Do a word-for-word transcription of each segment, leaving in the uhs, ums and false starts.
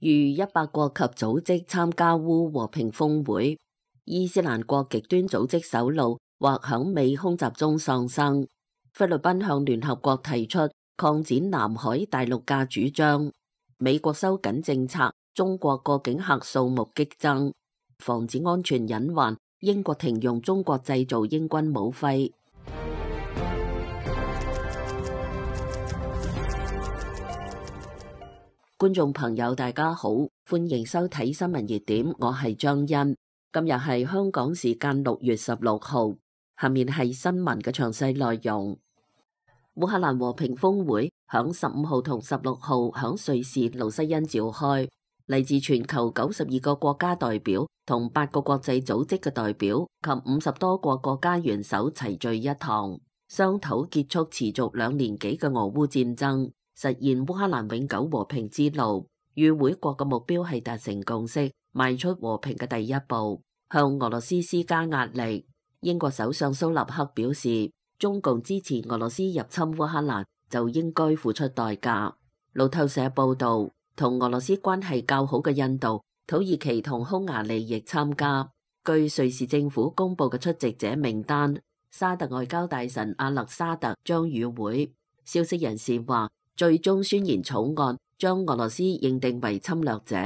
逾一百國及組織參加烏和平峰會。伊斯蘭國極端組織首腦或響美空襲中喪生。菲律賓向聯合國提出擴展南海大陸架主張。美國收緊政策，中國過境客數目激增。防止安全隱患，英國停用中國製造英軍武徽。觀眾朋友大家好，歡迎收睇新聞熱點，我係張欣。今日係香港時間六月十六號，下面係新聞嘅詳細內容。烏克蘭和平峰會響十五號同十六號響瑞士盧西恩召開，嚟自全球九十二個國家代表同八個國際組織嘅代表及五十多個國家元首齊聚一堂，商討結束持續兩年幾嘅俄烏戰爭，實現烏克蘭永久和平之路。與會國嘅目標係達成共識，邁出和平嘅第一步，向俄羅斯施加壓力。英國首相蘇納克表示，中共支持俄羅斯入侵烏克蘭就應該付出代價。路透社報道，同俄羅斯關係較好嘅印度、土耳其同匈牙利亦參加。據瑞士政府公布嘅出席者名單，沙特外交大臣阿勒沙特將與會。消息人士話，最終宣言草案將俄羅斯認定為侵略者。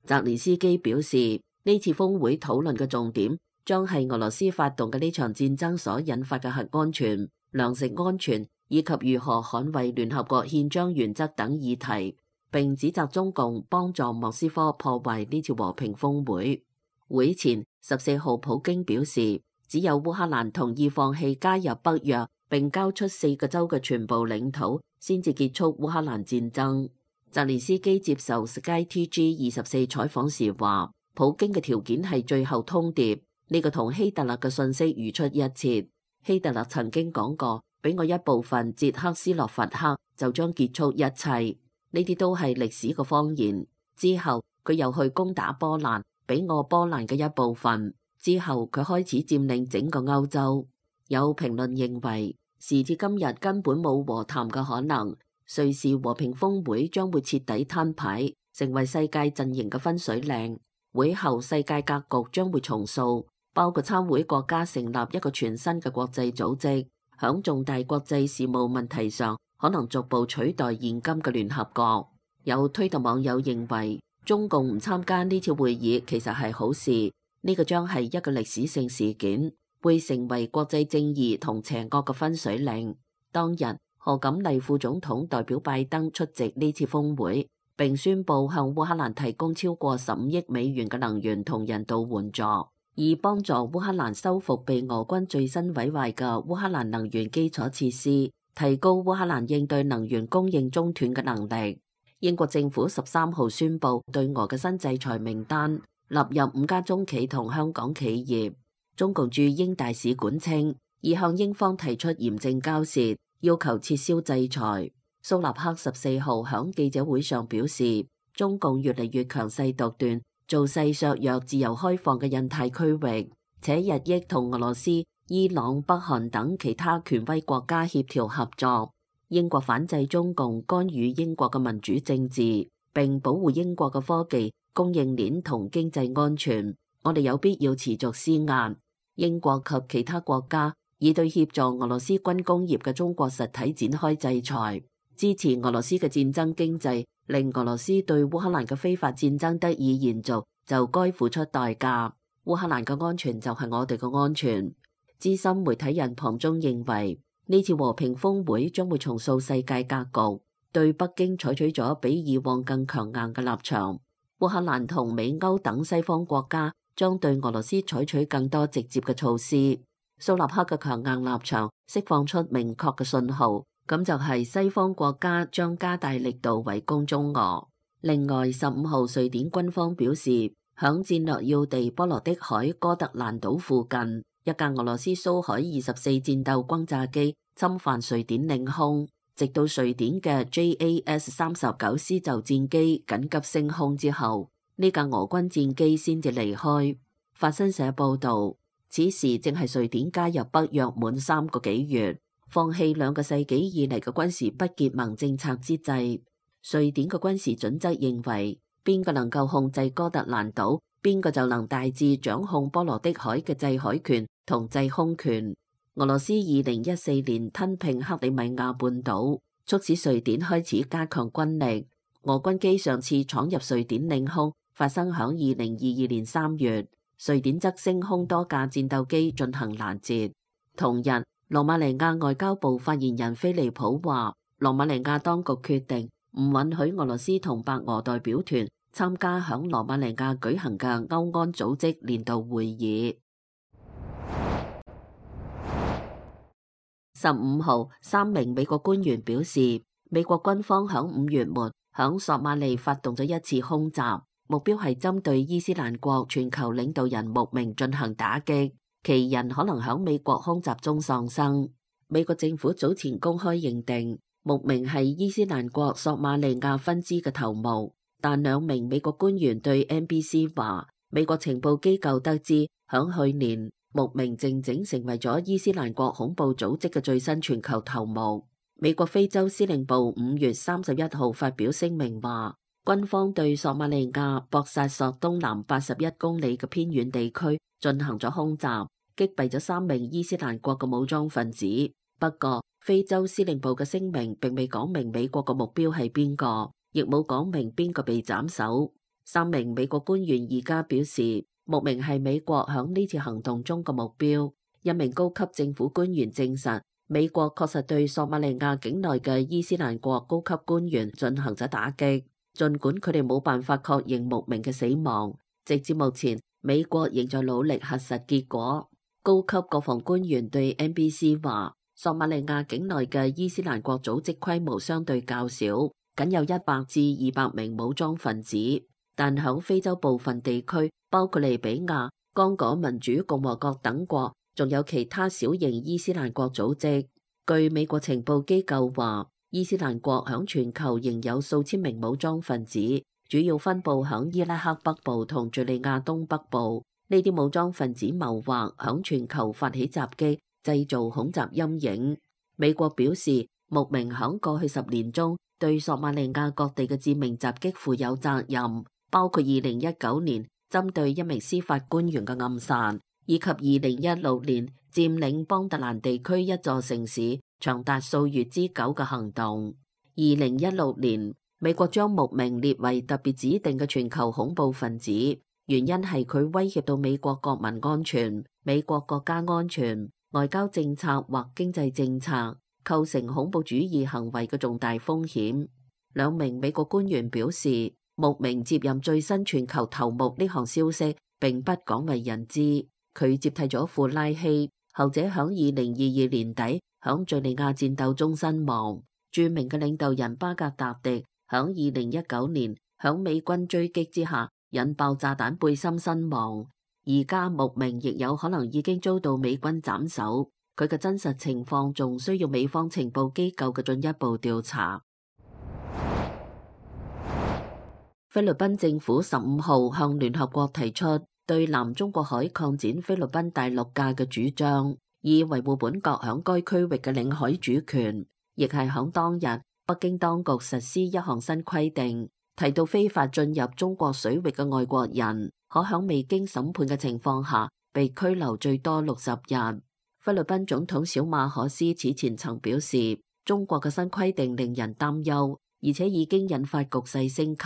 澤連斯基表示，呢次峰會討論嘅重點將係俄羅斯發動嘅呢場戰爭所引發嘅核安全、糧食安全以及如何捍衛聯合國憲章原則等議題，並指責中共幫助莫斯科破壞呢次和平峰會。會前十四號，普京表示，只有烏克蘭同意放棄加入北約並交出四個州嘅全部領土，先至結束烏克蘭戰爭。澤連斯基接受 Sky T G 二十四採訪時話，普京嘅條件係最後通牒，呢、這個同希特勒嘅信息如出一轍。希特勒曾經講過，俾我一部分捷克斯洛伐克就將結束一切，呢啲都係歷史嘅謊言。之後佢又去攻打波蘭，俾我波蘭嘅一部分。之後佢開始佔領整個歐洲。有評論認為，時至今日根本冇和談嘅可能。瑞士和平峰會將會徹底攤牌，成為世界陣營嘅分水嶺。會後世界格局將會重塑，包括參會國家成立一個全新嘅國際組織，響重大國際事務問題上可能逐步取代現今嘅聯合國。有推特網友認為，中共唔參加呢次會議其實係好事，呢個將係一個歷史性事件，會成為國際正義同邪惡嘅分水嶺。當日，賀錦麗副總統代表拜登出席呢次峰會，並宣布向烏克蘭提供超過十五億美元嘅能源同人道援助，以幫助烏克蘭修復被俄軍最新毀壞嘅烏克蘭能源基礎設施，提高烏克蘭應對能源供應中斷嘅能力。英國政府十三號宣布對俄嘅新制裁名單納入五家中企同香港企業。中共駐英大使館稱，已向英方提出嚴正交涉，要求撤銷制裁。蘇納克十四號響記者會上表示，中共越嚟越強勢獨斷，造勢削弱自由開放嘅印太區域，且日益同俄羅斯、伊朗、北韓等其他權威國家協調合作。英國反制中共干預英國嘅民主政治，並保護英國嘅科技、供應鏈同經濟安全。我哋有必要持續施壓。英國及其他國家已對協助俄羅斯軍工業嘅中國實體展開制裁，支持俄羅斯嘅戰爭經濟，令俄羅斯對烏克蘭嘅非法戰爭得以延續，就該付出代價。烏克蘭嘅安全就係我哋嘅安全。資深媒體人龐中認為，呢次和平峰會將會重塑世界格局，對北京採取咗比以往更強硬嘅立場。烏克蘭同美歐等西方國家將對俄羅斯採取更多直接嘅措施。蘇納克嘅強硬立場釋放出明確嘅信號，咁就係西方國家將加大力度圍攻中俄。另外，十五號瑞典軍方表示，響戰略要地波羅的海哥特蘭島附近，一架俄羅斯蘇海二十四戰鬥轟炸機侵犯瑞典領空，直到瑞典嘅 J A S 三十九施就戰機緊急升空之後，呢架俄軍戰機先至離開。法新社報道，此時正係瑞典加入北約滿三個幾月，放棄兩個世紀以嚟嘅軍事不結盟政策之際。瑞典嘅軍事準則認為，邊個能夠控制哥特蘭島，邊個就能大致掌控波羅的海嘅制海權同制空權。俄羅斯二零一四年吞併克里米亞半島，促使瑞典開始加強軍力。俄軍機上次闖入瑞典領空，發生響二零二二年三月，瑞典則升空多架戰鬥機進行攔截。同日，羅馬尼亞外交部發言人菲利普話，羅馬尼亞當局決定唔允許俄羅斯同白俄代表團參加響羅馬尼亞舉行嘅歐安組織年度會議。十五號，三名美國官員表示，美國軍方響五月末響索馬利發動咗一次空襲，目標係針對伊斯蘭國全球領導人穆明進行打擊。其人可能響美國空襲中喪生。美國政府早前公開認定穆明係伊斯蘭國索馬利亞分支嘅頭目，但兩名美國官員對 N B C 話，美國情報機構得知響去年穆明靜靜成為咗伊斯蘭國恐怖組織嘅最新全球頭目。美國非洲司令部五月三十一號發表聲明話，軍方對索馬利亞博薩索東南八十一公里嘅偏遠地區進行咗空襲，擊斃咗三名伊斯蘭國嘅武裝分子。不過，非洲司令部嘅聲明並未講明美國嘅目標係邊個，亦冇講明邊個被斬首。三名美國官員而家表示，穆明係美國響呢次行動中嘅目標。一名高級政府官員證實，美國確實對索馬利亞境內嘅伊斯蘭國高級官員進行咗打擊，儘管佢哋冇辦法確認穆明嘅死亡。直至目前，美國仍在努力核實結果。高級國防官員對 N B C 話，索馬利亞境內嘅伊斯蘭國組織規模相對較少，僅有一百至二百名武裝分子。但響非洲部分地區，包括利比亞、剛果民主共和國等國，仲有其他小型伊斯蘭國組織。據美國情報機構話，伊斯蘭國響全球仍有數千名武裝分子，主要分布響伊拉克北部同敘利亞東北部。呢啲武裝分子謀劃響全球發起襲擊，製造恐襲陰影。美國表示，穆明響過去十年中對索馬利亞各地嘅致命襲擊負有責任，包括二零一九年針對一名司法官員嘅暗殺，以及二零一六年佔領邦特蘭地區一座城市長達數月之久嘅行動。二零一六年，美國將穆明列為特別指定嘅全球恐怖分子。原因係佢威脅到美國國民安全、美國國家安全、外交政策或經濟政策，構成恐怖主義行為嘅重大風險。兩名美國官員表示，穆明接任最新全球頭目呢項消息並不廣為人知。佢接替咗庫拉希，後者響二零二二年底響敘利亞戰鬥中身亡。著名嘅領導人巴格達迪響二零一九年響美軍追擊之下引爆炸彈背心身亡，而家穆明亦有可能已經遭到美軍斬首，佢嘅真實情況仲需要美方情報機構嘅進一步調查。菲律賓政府十五號向聯合國提出對南中國海擴展菲律賓大陸界嘅主張，以維護本國響該區域嘅領海主權，亦係響當日北京當局實施一項新規定。提到非法進入中國水域嘅外國人，可響未經審判嘅情況下被拘留最多六十日。菲律賓總統小馬可斯此前曾表示，中國嘅新規定令人擔憂，而且已經引發局勢升級。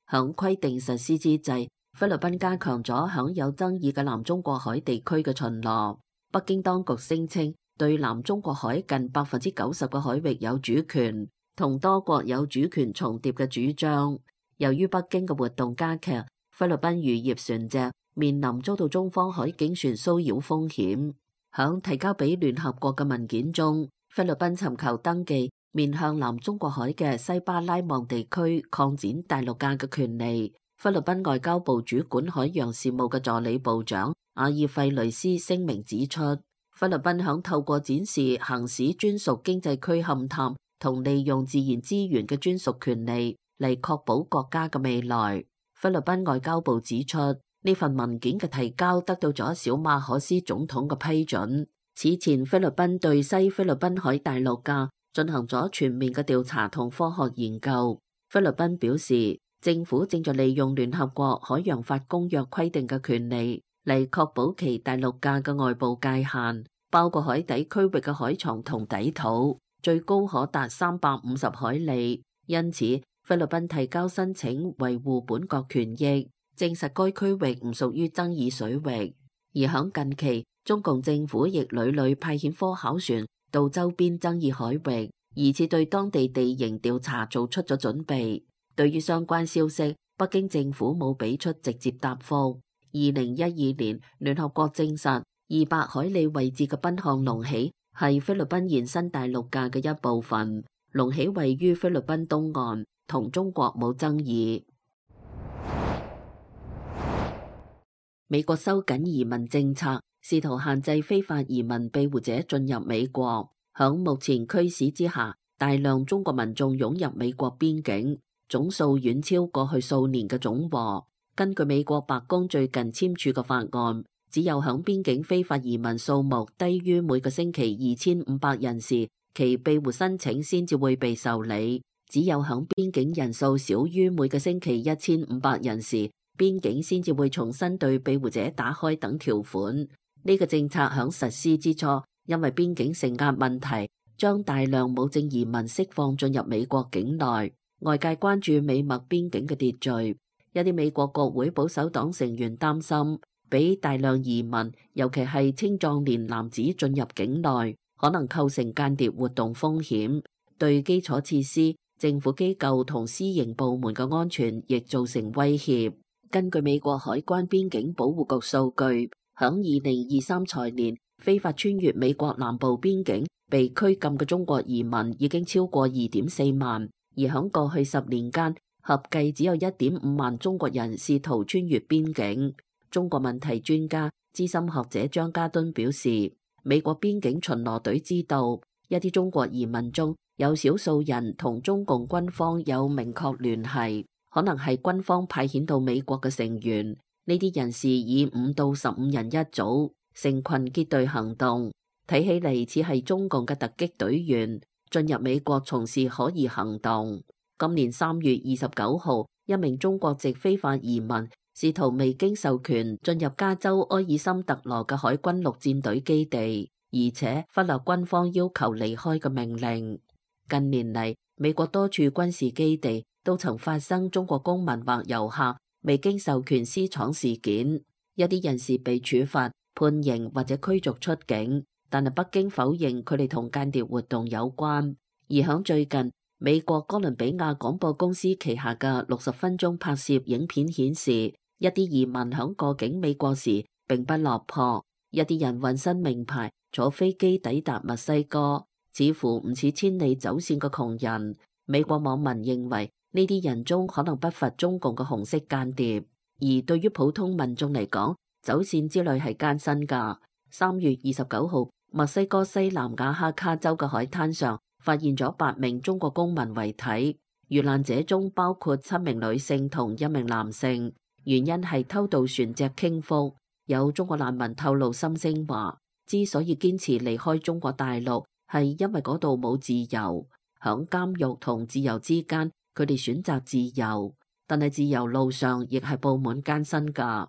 響規定實施之際，菲律賓加強咗響有爭議嘅南中國海地區嘅巡邏。北京當局聲稱對南中國海近百分之九十嘅海域有主權，同多國有主權重疊嘅主張。由於北京嘅活動加劇，菲律賓漁業船隻面臨遭到中方海警船騷擾風險。響提交俾聯合國嘅文件中，菲律賓尋求登記面向南中國海嘅西巴拉望地區擴展大陸界嘅權利。菲律賓外交部主管海洋事務嘅助理部長阿爾費雷斯聲明指出，菲律賓響透過展示行使專屬經濟區勘探同利用自然資源嘅專屬權利嚟確保國家嘅未來。菲律賓外交部指出，呢份文件嘅提交得到咗小馬可斯總統嘅批准。此前，菲律賓對西菲律賓海大陸架進行咗全面嘅調查同科學研究。菲律賓表示，政府正在利用聯合國海洋法公約規定嘅權利嚟確保其大陸架嘅外部界限，包括海底區域嘅海床同底土，最高可達三百五十海里。因此，菲律賓提交申請維護本國權益，證實該區域唔屬於爭議水域。而響近期，中共政府亦屢屢派遣科考船到周邊爭議海域，疑似對當地地形調查做出咗準備。對於相關消息，北京政府冇俾出直接答覆。二零一二年，聯合國證實二百海里位置嘅賓漢隆起係菲律賓延伸大陸架嘅一部分，隆起位於菲律賓東岸，同中國冇爭議。美國收緊移民政策，試圖限制非法移民庇護者進入美國。響目前驅使之下，大量中國民眾湧入美國邊境，總數遠超過去數年嘅總和。根據美國白宮最近簽署嘅法案，只有響邊境非法移民數目低於每個星期二千五百人時，其庇護申請先至會被受理；只有響邊境人數少於每個星期一千五百人時，邊境先至會重新對庇護者打開等條款。呢、這個政策響實施之初，因為邊境承壓問題，將大量無證移民釋放進入美國境內。外界關注美墨邊境嘅秩序，有啲美國國會保守黨成員擔心，俾大量移民，尤其係青壯年男子進入境內，可能構成間諜活動風險，對基礎設施、政府機構同私營部門嘅安全亦造成威脅。根據美國海關邊境保護局數據，響二零二三財年，非法穿越美國南部邊境被拘禁嘅中國移民已經超過二點四萬。而響過去十年間，合計只有一點五萬中國人試圖穿越邊境。中國問題專家、資深學者張家敦表示，美國邊境巡邏隊知道，一啲中國移民中有少數人同中共軍方有明確聯繫，可能係軍方派遣到美國嘅成員。呢啲人士以五到十五人一組，成群結隊行動，睇起嚟似係中共嘅突擊隊員。進入美國從事可疑行動。今年三月二十九號，一名中國籍非法移民試圖未經授權進入加州埃爾森特羅嘅海軍陸戰隊基地，而且忽略軍方要求離開嘅命令。近年嚟，美國多處軍事基地都曾發生中國公民或遊客未經授權私闖事件，一啲人士被處罰、判刑或者驅逐出境。但係北京否認佢哋同間諜活動有關。而響最近，美國哥倫比亞廣播公司旗下嘅六十分鐘拍攝影片顯示，一啲移民響過境美國時並不落魄，一啲人渾身名牌坐飛機抵達墨西哥，似乎唔似千里走線嘅窮人。美國網民認為呢啲人中可能不乏中共嘅紅色間諜。而對於普通民眾嚟講，走線之旅係艱辛㗎。三月二十九號，墨西哥西南瓦哈卡州嘅海灘上發現咗八名中國公民遺體，遇難者中包括七名女性同一名男性，原因係偷渡船隻傾覆。有中國難民透露心聲話，之所以堅持離開中國大陸，係因為嗰度冇自由，響監獄同自由之間，佢哋選擇自由，但係自由路上亦係布滿艱辛㗎。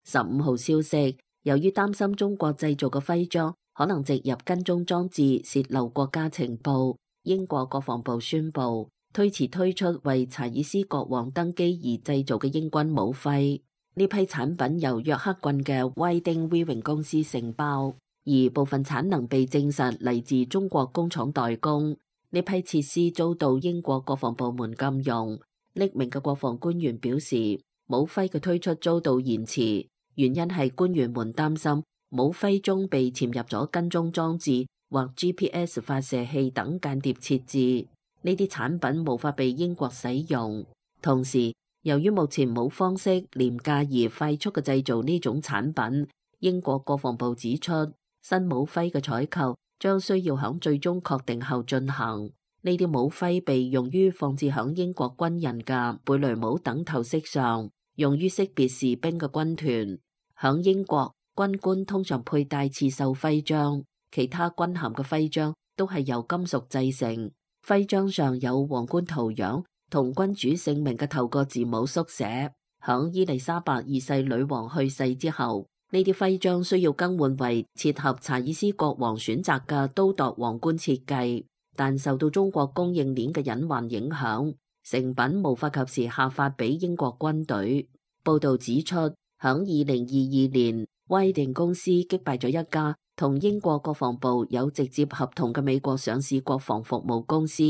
十五號消息，由於擔心中國製造嘅徽章可能植入跟蹤裝置洩漏國家情報，英國國防部宣布推遲推出為查爾斯國王登基而製造嘅英軍武徽。呢批產品由約克郡嘅威丁威榮公司承包，而部分產能被證實嚟自中國工廠代工。呢批設施遭到英國國防部門禁用。匿名嘅國防官員表示，武徽嘅推出遭到延遲。原因係官員們擔心武徽中被潛入咗跟蹤裝置或 G P S 發射器等間諜設置，呢啲產品無法被英國使用。同時，由於目前冇方式廉價而快速嘅製造呢種產品，英國國防部指出，新武徽嘅採購將需要響最終確定後進行。呢啲武徽被用於放置響英國軍人嘅貝雷帽等頭飾上，用於識別士兵嘅軍團。響英國，軍官通常佩戴刺繡徽章，其他軍銜嘅徽章都係由金屬製成。徽章上有皇冠圖樣同君主姓名嘅透過字母縮寫。響伊麗莎白二世女王去世之後，呢啲徽章需要更換為切合查爾斯國王選擇嘅刀鐸皇冠設計，但受到中國供應鏈嘅隱患影響，成品無法及時下發俾英國軍隊。報道指出，響二零二二年，威定公司擊敗咗一家同英國國防部有直接合同嘅美國上市國防服務公司，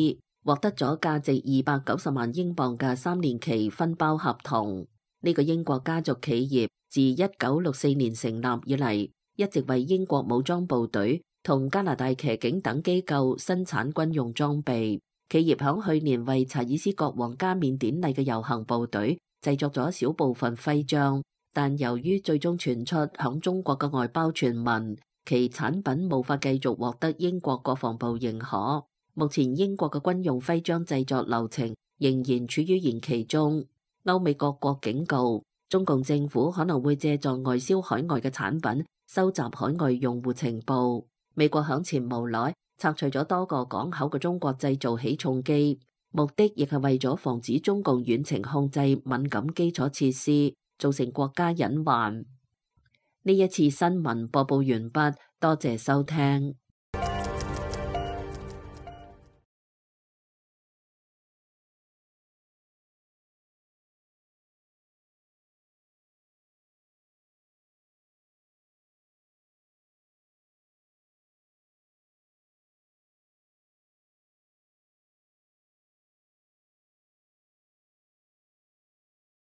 獲得咗價值二百九十萬英鎊嘅三年期分包合同。呢個英國家族企業自一九六四年成立以嚟，一直為英國武裝部隊同加拿大騎警等機構生產軍用裝備。企業響去年為查爾斯國王加冕典禮嘅遊行部隊製作咗小部分徽章，但由於最終傳出響中國嘅外包傳聞，其產品無法繼續獲得英國國防部認可。目前英國嘅軍用徽章製作流程仍然處於延期中。歐美各國警告，中共政府可能會借助外銷海外嘅產品，收集海外用戶情報。美國響前無耐拆除咗多個港口嘅中國製造起重機，目的亦係為咗防止中共遠程控制敏感基礎設施，造成國家隱患。呢一次新聞播報完畢，多謝收聽。